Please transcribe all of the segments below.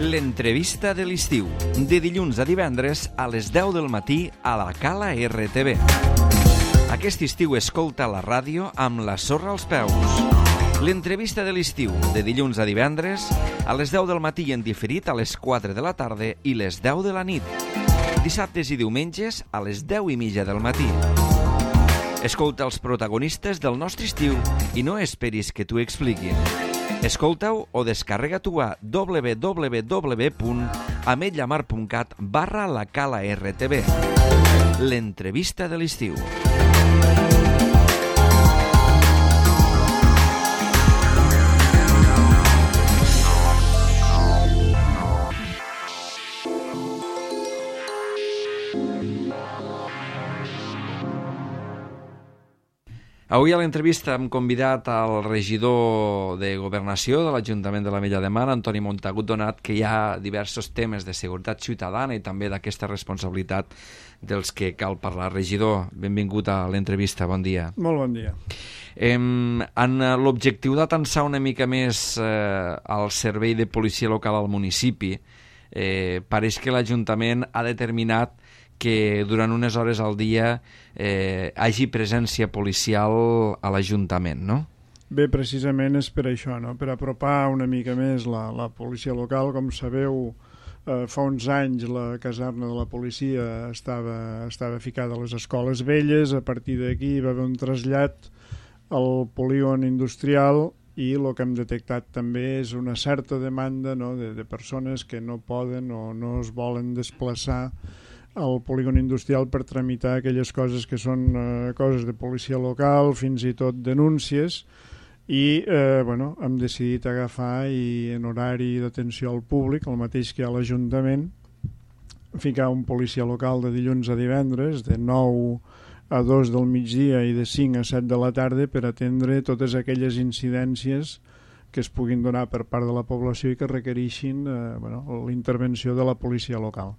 L'entrevista de l'estiu, de dilluns a divendres a les 10 del matí a la Cala RTV. Aquest estiu escolta la ràdio amb la sorra als peus. L'entrevista de l'estiu, de dilluns a divendres a les 10 del matí en diferit a les 4 de la tarda i les 10 de la nit. Dissabtes i diumenges a les 10:30 del matí. Escolta els protagonistes del nostre estiu i no esperis que t'ho expliquin. Escolta-ho o descarrega-t'ho a www.ametlllamar.cat/la Cala RTV. L'entrevista de l'estiu. Avui a l'entrevista hem convidat al regidor de Governació de l'Ajuntament de l'Ametlla de Mar, Antoni Montagut, donat que hi ha diversos temes de seguretat ciutadana i també d'aquesta responsabilitat dels que cal parlar. Regidor, benvingut a l'entrevista, bon dia. Molt bon dia. En l'objectiu d'atansar una mica més al servei de policia local al municipi, pareix que l'Ajuntament ha determinat que durant unes hores al dia hagi presència policial a l'Ajuntament, no? Bé, precisament és per això, no? Per apropar una mica més la policia local. Com sabeu, fa uns anys la caserna de la policia estava ficada a les escoles velles. A partir d'aquí va haver un trasllat al polígon industrial i el que hem detectat també és una certa demanda, no?, de persones que no poden o no es volen desplaçar al polígon industrial per tramitar aquelles coses que són coses de policia local, fins i tot denúncies, i hem decidit agafar i en horari d'atenció al públic, el mateix que a l'Ajuntament, ficar un policia local de dilluns a divendres, de 9 a 2 del migdia i de 5 a 7 de la tarda, per atendre totes aquelles incidències que es puguin donar per part de la població i que requereixin l'intervenció de la policia local.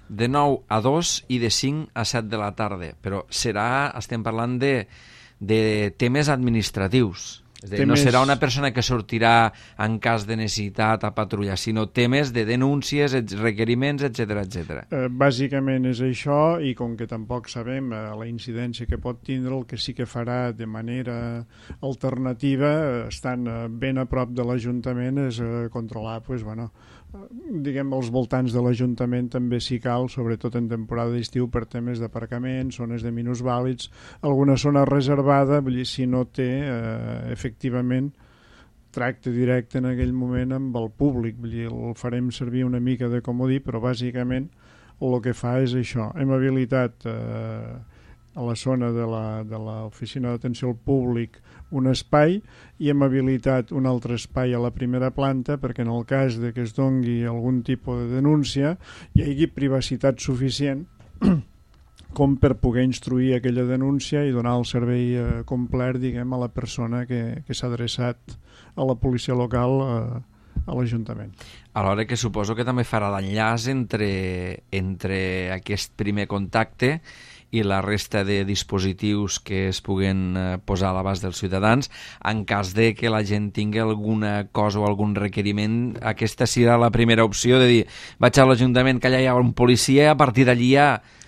De 9 a 2 i de 5 a 7 de la tarda, però estem parlant de temes administratius. És a dir, no serà una persona que sortirà en cas de necessitat a patrullar, sinó temes de denúncies, requeriments, etc. Bàsicament és això, i com que tampoc sabem la incidència que pot tindre, el que sí que farà de manera alternativa, estant ben a prop de l'Ajuntament, és controlar els voltants de l'Ajuntament també si cal, sobretot en temporada d'estiu, per temes d'aparcament, zones de minusvàlids, alguna zona reservada, vull dir, si no té efectivament tracte directe en aquell moment amb el públic, vull dir, el farem servir una mica de comodí, però bàsicament el que fa és això. Hem habilitat a la zona de l'oficina d'atenció al públic un espai i hem habilitat un altre espai a la primera planta perquè en el cas de que es dongui algun tipus de denúncia hi hagi privacitat suficient com per poder instruir aquella denúncia i donar el servei complet, diguem, a la persona que s'ha adreçat a la policia local a l'Ajuntament. Alhora que suposo que també farà l'enllaç entre aquest primer contacte i la resta de dispositius que es puguen posar a l'abast dels ciutadans. En cas de que la gent tingui alguna cosa o algun requeriment, aquesta serà la primera opció de dir, vaig a l'Ajuntament, que allà hi ha un policia, a partir d'allí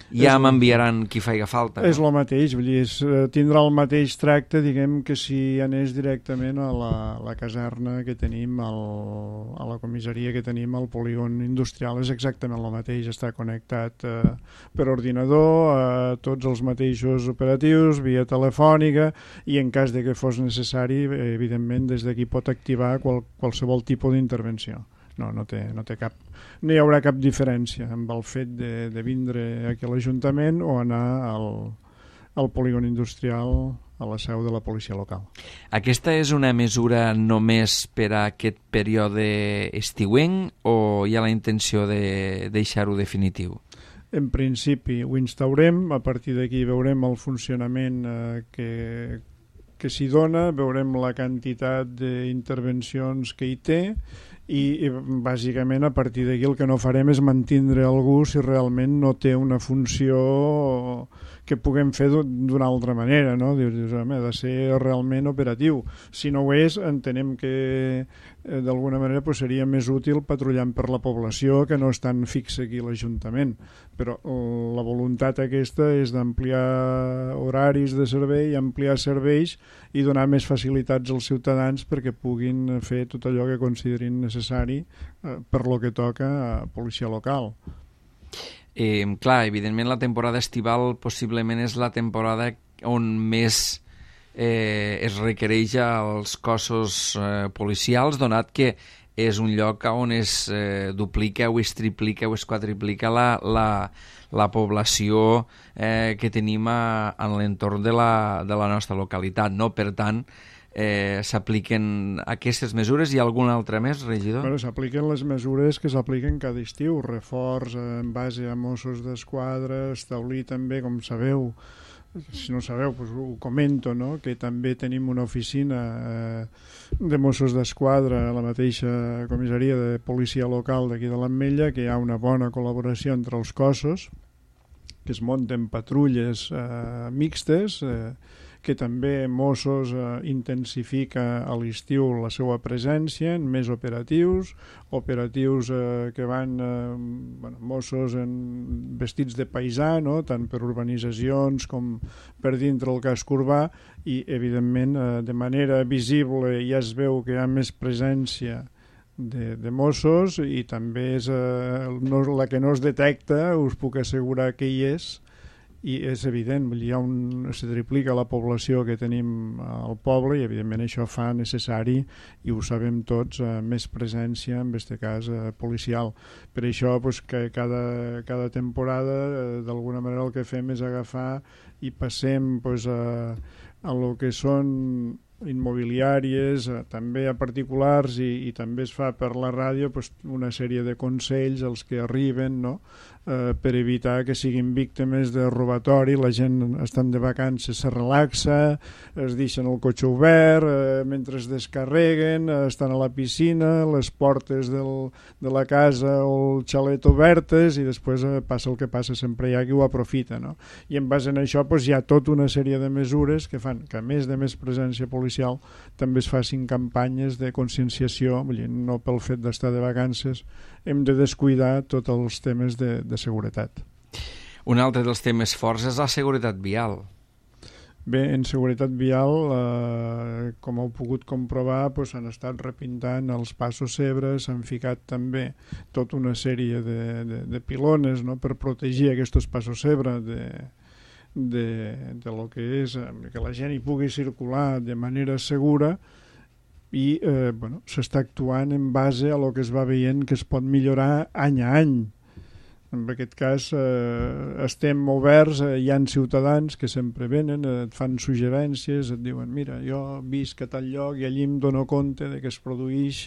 ja m'enviaran qui faci falta. És el mateix, vull dir, tindrà el mateix tracte, diguem, que si anés directament a la caserna que tenim, a la comissaria que tenim al polígon industrial. És exactament el mateix, està connectat per ordinador, tots els mateixos operatius, via telefònica, i en cas de que fos necessari, evidentment, des d'aquí pot activar qualsevol tipus d'intervenció. No hi haurà cap diferència amb el fet de vindre aquí a l'Ajuntament o anar al polígon industrial, a la seu de la policia local. Aquesta és una mesura només per a aquest període estiuenc o hi ha la intenció de deixar-ho definitiu? En principi ho instaurem, a partir d'aquí veurem el funcionament que s'hi dona, veurem la quantitat d'intervencions que hi té i bàsicament a partir d'aquí el que no farem és mantindre algú si realment no té una funció que puguem fer d'una altra manera, no? Dius, home, ha de ser realment operatiu. Si no ho és, entenem que d'alguna manera pues, seria més útil patrullant per la població que no estan fixe aquí a l'Ajuntament. Però la voluntat aquesta és d'ampliar horaris de servei, ampliar serveis i donar més facilitats als ciutadans perquè puguin fer tot allò que considerin necessari per lo que toca a policia local. Clar, evidentment la temporada estival possiblement és la temporada on més es requereix als cossos policials, donat que és un lloc on es duplica o es triplica o es quadriplica la població que tenim en l'entorn de la nostra localitat, no? Per tant, s'apliquen aquestes mesures i alguna altra més, regidor? Bueno, s'apliquen les mesures que s'apliquen cada estiu, reforç en base a Mossos d'Esquadra, establir també, com sabeu, si no sabeu, doncs ho comento, no? Que també tenim una oficina de Mossos d'Esquadra a la mateixa comissaria de policia local d'aquí de l'Ametlla, que hi ha una bona col·laboració entre els cossos, que es munten patrulles mixtes, que també Mossos intensifica a l'estiu la seva presència en més operatius que van Mossos vestits de paisà, no? Tant per urbanitzacions com per dintre el casc urbà, i evidentment de manera visible ja es veu que hi ha més presència de Mossos, i també és la que no es detecta, us puc assegurar que hi és, i és evident, se triplica la població que tenim al poble i evidentment això fa necessari, i ho sabem tots, més presència, en aquest cas policial. Per això pues, que cada temporada d'alguna manera el que fem és agafar i passem pues, a lo que són immobiliàries, també a particulars, i també es fa per la ràdio pues, una sèrie de consells als que arriben, no? Per evitar que siguin víctimes de robatori. La gent estan de vacances, se relaxa, es deixen el cotxe obert, mentre es descarreguen, estan a la piscina, les portes de la casa o el xalet obertes, i després passa el que passa, sempre hi ha qui ho aprofita, no? I en base a això pues, hi ha tota una sèrie de mesures que fan que, a més de més presència policial, també es facin campanyes de conscienciació. Vull dir, no pel fet d'estar de vacances hem de descuidar tots els temes de seguretat. Un altre dels temes forts és la seguretat vial. Bé, en seguretat vial, com heu pogut comprovar, s'han estat repintant els passos zebra, s'han ficat també tota una sèrie de pilones, no?, per protegir aquests passos zebra de lo que és que la gent hi pugui circular de manera segura, i s'està actuant en base a lo que es va veient que es pot millorar any a any. En aquest cas estem oberts, hi ha ciutadans que sempre venen, et fan suggerències, et diuen mira, jo visc a tal lloc i allí em dono compte de que es produeix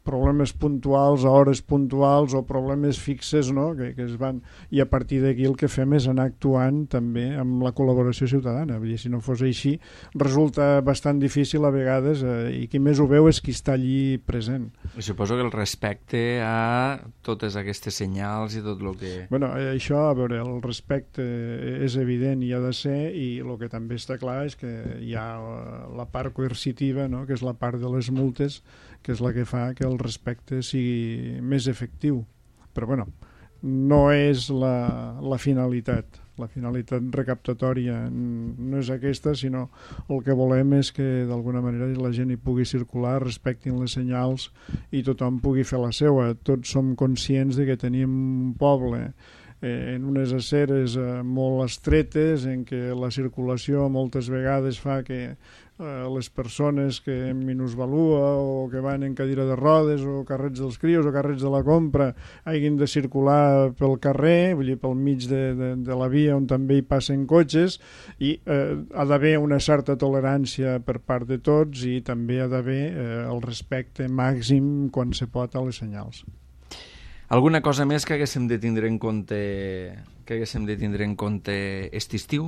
problemes puntuals a hores puntuals o problemes fixes, no? que es van, i a partir d'aquí el que fem és anar actuant també amb la col·laboració ciutadana. Vull dir, si no fos així resulta bastant difícil a vegades, i qui més ho veu és qui està allí present. I suposo que el respecte a totes aquestes senyals i tot el que... Bueno, això, a veure, el respecte és evident i ha de ser, i el que també està clar és que hi ha la part coercitiva, no?, que és la part de les multes, que és la que fa que el respecte sigui més efectiu. Però, bueno, no és la finalitat. La finalitat recaptatòria no és aquesta, sinó el que volem és que d'alguna manera la gent hi pugui circular, respectin les senyals i tothom pugui fer la seva. Tots som conscients de que tenim un poble en unes aceres molt estretes, en què la circulació moltes vegades fa que les persones que minusvalua o que van en cadira de rodes o carrets dels crios o carrets de la compra hagin de circular pel carrer, vull dir, pel mig de la via on també hi passen cotxes, i ha d'haver una certa tolerància per part de tots, i també ha d'haver el respecte màxim quan se pot a les senyals. Alguna cosa més que haguéssim de tindre en compte aquest estiu?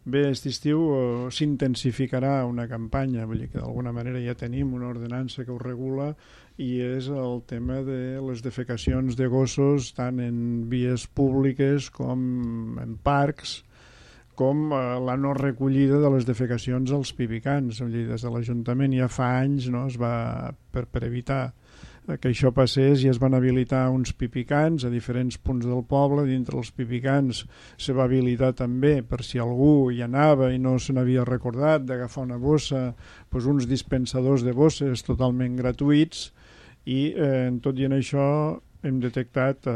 Bé, aquest estiu s'intensificarà una campanya, vull dir que d'alguna manera ja tenim una ordenança que ho regula, i és el tema de les defecacions de gossos tant en vies públiques com en parcs, com la no recollida de les defecacions als pipicans. Vull dir, des de l'Ajuntament ja fa anys, no, es va, per evitar que això passés, i es van habilitar uns pipicans a diferents punts del poble. Dintre els pipicans se va habilitar també, per si algú hi anava i no se n'havia recordat, d'agafar una bossa, doncs uns dispensadors de bosses totalment gratuïts. I en tot i en això hem detectat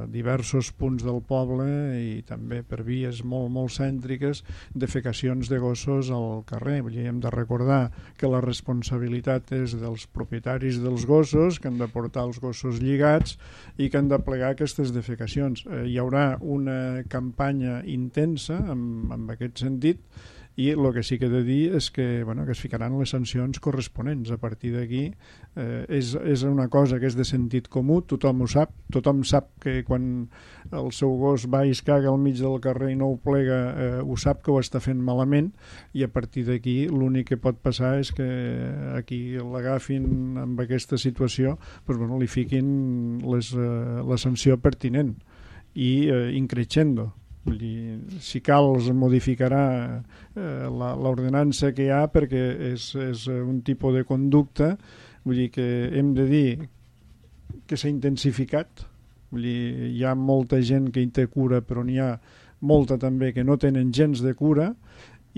diversos punts del poble, i també per vies molt, molt cèntriques, defecacions de gossos al carrer. Vull dir, hem de recordar que la responsabilitat és dels propietaris dels gossos, que han de portar els gossos lligats i que han de plegar aquestes defecacions. Hi haurà una campanya intensa en aquest sentit, i el que sí que he de dir és que, que es ficaran les sancions corresponents. A partir d'aquí és una cosa que és de sentit comú, tothom ho sap, tothom sap que quan el seu gos va i es caga al mig del carrer i no ho plega, ho sap que ho està fent malament, i a partir d'aquí l'únic que pot passar és que aquí l'agafin amb aquesta situació, li fiquin la sanció pertinent i increixendo. Vull dir, si cal es modificarà l'ordenança que hi ha, perquè és un tipus de conducta. Vull dir que hem de dir que s'ha intensificat. Vull dir, hi ha molta gent que hi té cura, però n'hi ha molta també que no tenen gens de cura,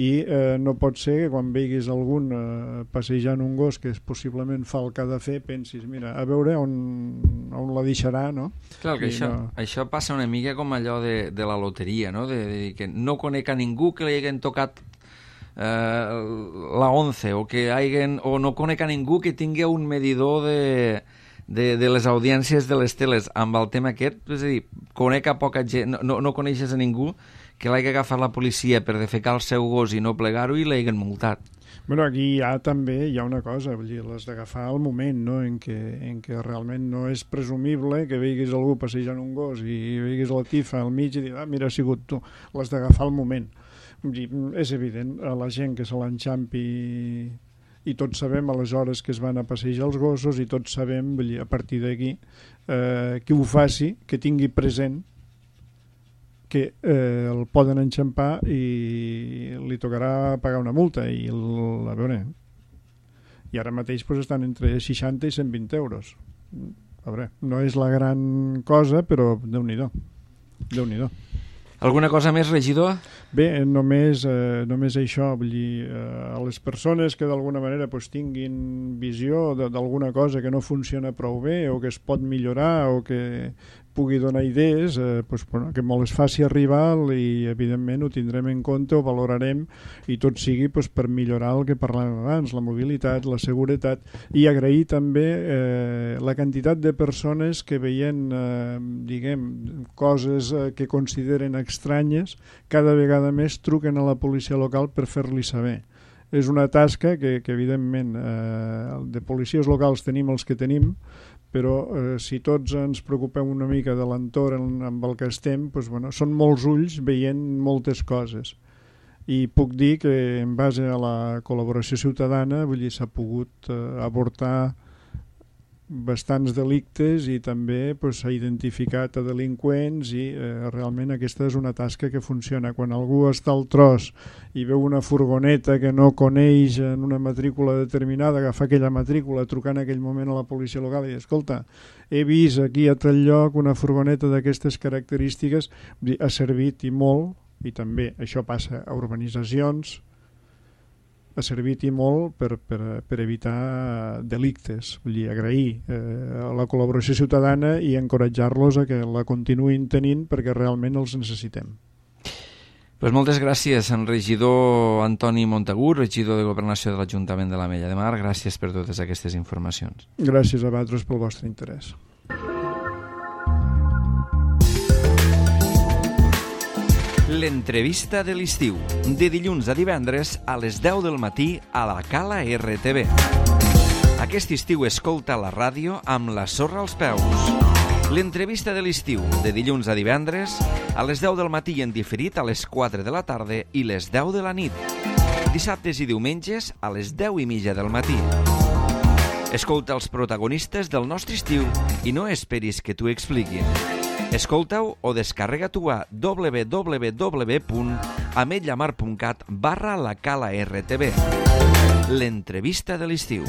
i no pot ser que quan veiguis algun passejant un gos que possiblement fa el que ha de fer, pensis, mira, a veure on la deixarà, no? Clar, que això passa una mica com allò de la loteria, no? De dir que no conec a ningú que li hagin tocat la 11, o no conec a ningú que tingui un medidor de les audiències de les teles amb el tema aquest. És a dir, conec a poca gent, no coneixes a ningú que l'hagi agafat la policia per defecar el seu gos i no plegar-ho i l'hagin multat. Bueno, aquí també hi ha una cosa, vull dir, les d'agafar al moment, no? en què realment no és presumible que veiguis algú passejant un gos i veiguis la tifa al mig i dir, mira, ha sigut tu. Les d'agafar al moment. Vull dir, és evident, a la gent que se l'enxampi, i tots sabem a les hores que es van a passejar els gossos, i tots sabem, vull dir, a partir d'aquí, que ho faci, que tingui present que el poden enxampar i li tocarà pagar una multa, i a veure, i ara mateix estan entre 60 i 120 euros. A veure, no és la gran cosa, però Déu-n'hi-do. Alguna cosa més, regidor? Bé, només això, vull dir, a les persones que d'alguna manera tinguin visió d'alguna cosa que no funciona prou bé, o que es pot millorar, o que pugui donar idees, que molt es faci arribar, i evidentment ho tindrem en compte, ho valorarem, i tot sigui per millorar el que parlàvem abans, la mobilitat, la seguretat, i agrair també la quantitat de persones que veient coses que consideren estranyes, cada vegada més truquen a la policia local per fer-li saber. És una tasca que evidentment de policies locals tenim els que tenim, però si tots ens preocupem una mica de l'entorn amb el que estem, són molts ulls veient moltes coses. I puc dir que en base a la col·laboració ciutadana s'ha pogut abortar bastants delictes, i també s'ha identificat a delinqüents, i realment aquesta és una tasca que funciona. Quan algú està al tros i veu una furgoneta que no coneix en una matrícula determinada, agafar aquella matrícula, trucar en aquell moment a la policia local i dir, escolta, he vist aquí a tal lloc una furgoneta d'aquestes característiques, ha servit i molt, i també això passa a urbanitzacions, ha servit i molt per evitar delictes. Vull dir, agrair la col·laboració ciutadana i encoratjar-los a que la continuïn tenint, perquè realment els necessitem. Moltes gràcies, en regidor Antoni Montagut, regidor de Governació de l'Ajuntament de l'Ametlla de Mar. Gràcies per totes aquestes informacions. Gràcies a vosaltres pel vostre interès. L'entrevista de l'estiu, de dilluns a divendres a les 10 del matí a la Cala RTV. Aquest estiu escolta la ràdio amb la sorra als peus. L'entrevista de l'estiu, de dilluns a divendres, a les 10 del matí i en diferit a les 4 de la tarda i les 10 de la nit. Dissabtes i diumenges a les 10:30 del matí. Escolta els protagonistes del nostre estiu i no esperis que t'ho expliquin. Escolta-ho o descarrega-t'ho a www.ametlllamar.cat/la-cala-rtb. L'entrevista de l'estiu.